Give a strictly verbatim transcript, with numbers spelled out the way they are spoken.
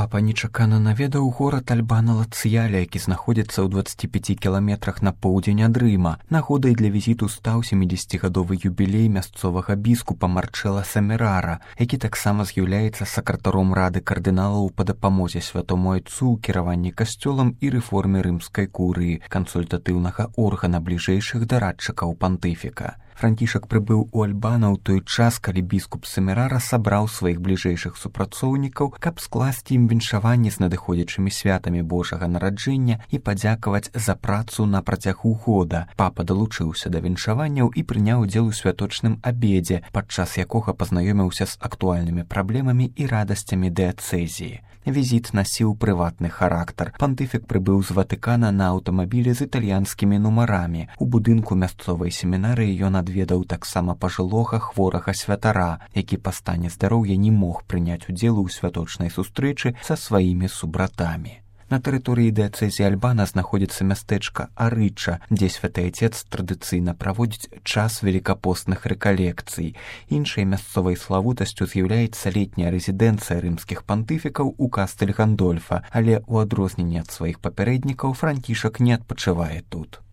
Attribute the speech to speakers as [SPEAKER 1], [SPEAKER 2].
[SPEAKER 1] Папа нечакана наведаў горад Альбана-Ла-Цьяля, які знаходзіцца ў дваццаці пяці кіламетрах на поўдзень ад Рыма. Нагодай для візіту стаў сямідзесяцігадовы юбілей мясцовага біскупа Марчэла Семерара, які таксама з'яўляецца сакратаром рады кардыналаў па дапамозе святому айцу ў кіраванні касцёлам і рэформе рымскай курыі, кансультатыўнага органа бліжэйшых дарадчыкаў пантыфіка. Францішак прыбыў у Альбана ў той час, калі біскуп Семерара сабраў сваіх бліжэйшых супрацоўнікаў, каб скласці ім віншаванні з надыходзячымі святамі Божага нараджэння і падзякаваць за працу на працягу года. Папа далучыўся да віншаванняў і прыняў удзел у святочным абедзе, падчас якога пазнаёміўся з актуальнымі праблемамі і радасцямі дыяцэзіі. Візіт насіў прыватны характар. Пантыфік прыбыў з Ватыкана на аўтамабілі з італьянскімі нумарамі. У будынку мясцовай семінарыі ён адведаў таксама пажылога хворага святара, які па стане здароўя не мог прыняць удзелу ў святочнай сустрэчы са сваімі субратамі. На тэрыторыі дыяцэзіі Альбана знаходзіцца мястэчка Арыча, дзе святы айцец традыцыйна праводзіць час велікапостных рэкалекцый. Іншай мясцовай славутасцю з'яўляецца летняя рэзідэнцыя рымскіх пантыфікаў у Кастэль Гандольфа, але ў адрозненне ад сваіх папярэднікаў Францішак не адпачывае тут.